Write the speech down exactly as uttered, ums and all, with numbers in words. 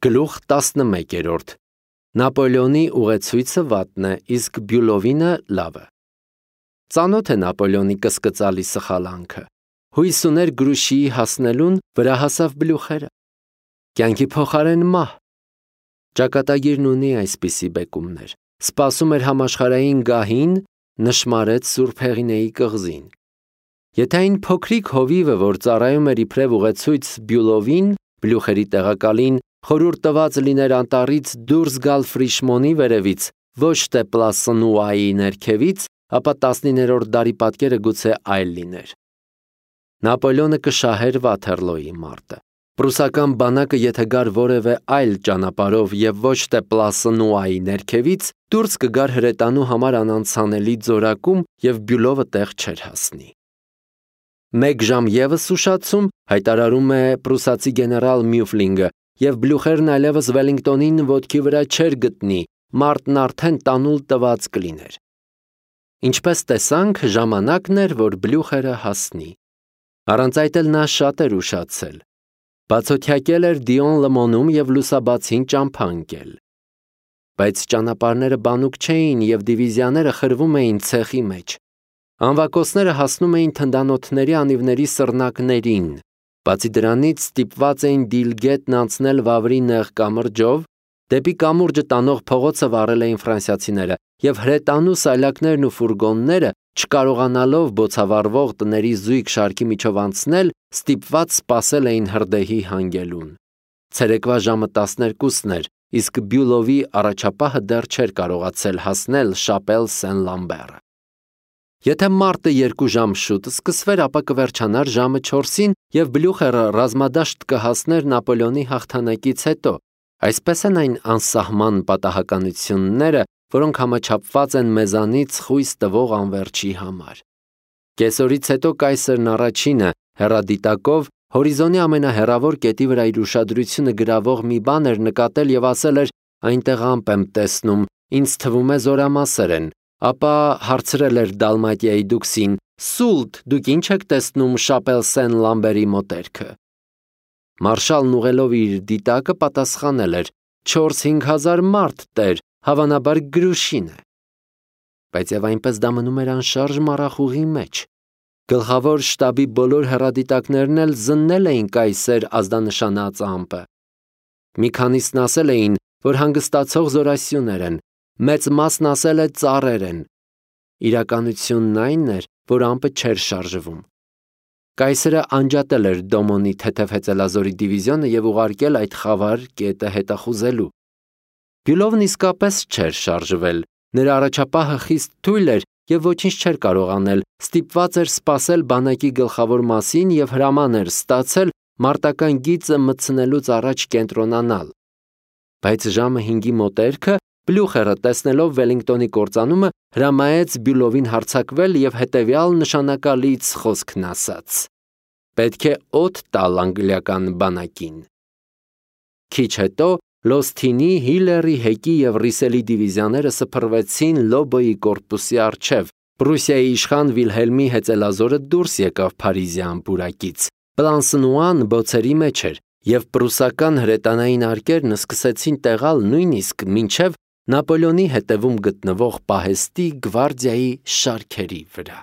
Գլուխ տասնմեկ. Նապոլեոնի ուղեցույցը վատն է, իսկ Բյուլովինը լավը։ Ծանոթ է Նապոլեոնի կսկծալի սխալանքը։ Հույս ուներ Գրուշիի հասնելուն, վրա հասավ Բլյուխերը։ Կյանքի փոխարեն մահ։ Ճակատագիրն ունի այսպիսի բեկումներ։ Սպասում էր համաշխարհային գահին, նշմարեց Սուրբ Հեղինեի կղզին։ Եթե այն փոքրիկ հովիվը, որ ծառայում էր իբրև ուղեցույց Բյուլովին, Բլյուխերի տեղակալին, խորհուրդ տված լիներ անտառից դուրս գալ Ֆրիշմոնի վերևից, ոչ թե Պլասնուայի ներքևից, ապա տասնիններորդ դարի պատկերը գուցե այլ լիներ։ Նապոլեոնը կշահեր Վաթերլոյի մարտը։ Պրուսական բանակը եթե գար որևէ այլ ճանապարհով և ոչ թե Պլասնուայի ներքևից, դուրս կգար հրետանու համար անանցանելի ձորակում և Բյուլովը տեղ չէր հասնի։ Մեկ ժամ ևս ուշացում, հայտարարում է պրուսացի գեներալ Մյուֆլինգը, և Բլյուխերն այլևս Վելինգտոնին ոտքի վրա չէր գտնի, մարտն արդեն տանուլ տված կլիներ։ Ինչպես տեսանք, ժամանակն էր, որ Բլյուխերը հասնի։ Առանց այդ էլ նա շատ էր ուշացել։ Բացօթյակել էր Դիոն լմոնում և լուսաբացին ճամփա ընկել։ Բայց ճանապարհները բանուկ չէին և դիվիզիաները խրվում էին ցեխի մեջ։ Անվակոսները հասնում էին թնդանոթների անիվների սռնակներին։ Բացի դրանից ստիպված էին Դիլգետն անցնել Վավրի նեղ կամրջով, դեպի կամուրջը տանող փողոցը վառել էին ֆրանսիացիները, և հրետանու սայլակներն ու ֆուրգոնները, չկարողանալով բոցավառվող տների զույգ շարքի միջով անցնել, ստիպված սպասել էին հրդեհի հանգելուն։ Ցերեկվա ժամը տասներկուսն էր, իսկ Բյուլովի առաջապահը դեռ չէր կարողացել հասնել Շապել Սեն-Լամբերը։ Եթե մարտը երկու ժամ շուտ սկսվեր, ապա կվերջանար ժամը չորսին, և Բլյուխերը ռազմադաշտ կհասներ Նապոլեոնի հաղթանակից հետո։ Այսպես են այն անսահման պատահականությունները, որոնք համաչափված են մեզանից խույս տվող անվերջի համար։ Կեսօրից հետո կայսրն առաջինը, հեռադիտակով, հորիզոնի ամենահեռավոր կետի վրա իր ուշադրությունը գրավող մի բան էր նկատել և ասել էր. «Այնտեղ ամպ եմ տեսնում, ինձ թվում է զորամասեր են», ապա հարցրել էր Դալմատիայի դուքսին. «Սուլտ, դուք ի՞նչ եք տեսնում Շապել Սեն-Լամբերի մոտերքը»։ Մարշալն ուղղելով իր դիտակը պատասխանել էր. «Չորս-հինգ հազար մարդ, տեր, հավանաբար Գրուշին է»։ Բայց և այնպես դա մնում էր անշարժ մառախուղի մեջ։ Գլխավոր շտաբի բոլոր հեռադիտակներն էլ զննել էին կայսեր ազդանշանած ամպը։ Մի քանիսն ասել էին, որ հանգստացող զորասյուներ են, մեծ մասն ասել է ծառեր են։ Իրականությունն այն էր, որ ամպը չէր շարժվում։ Կայսրը անջատել էր Դոմոնի թեթև հեծելազորի դիվիզիոնը և ուղարկել այդ խավար կետը հետախուզելու։ Բյուլովն իսկապես չէր շարժվել, նրա առաջապահը խիստ թույլ էր և ոչինչ չէր կարող անել, ստիպված էր սպասել բանակի գլխավոր մասին և հրաման էր ստացել մարտական գիծը մտցնելուց առաջ կենտրոնանալ։ Բայց ժամը հինգի մոտերքը Բլյուխերը, տեսնելով Վելինգտոնի կործանումը, հրամայեց Բյուլովին հարձակվել և հետևյալ նշանակալից խոսքն ասաց. «Պետք է օդ տալ անգլիական բանակին»։ Քիչ հետո Լոսթինի, Հիլերի, Հեկի և Ռիսելի դիվիզիաները սփռվեցին Լոբոյի կորպուսի առջև։ Պրուսիայի իշխան Վիլհելմի հեծելազորը դուրս եկավ Փարիզյան պուրակից։ Պլանսնուան բոցերի մեջ էր, և պրուսական հրետանային արկերն սկսեցին տեղալ նույնիսկ մինչև Նապոլեոնի հետևում գտնվող պահեստի գվարդիայի շարքերի վրա։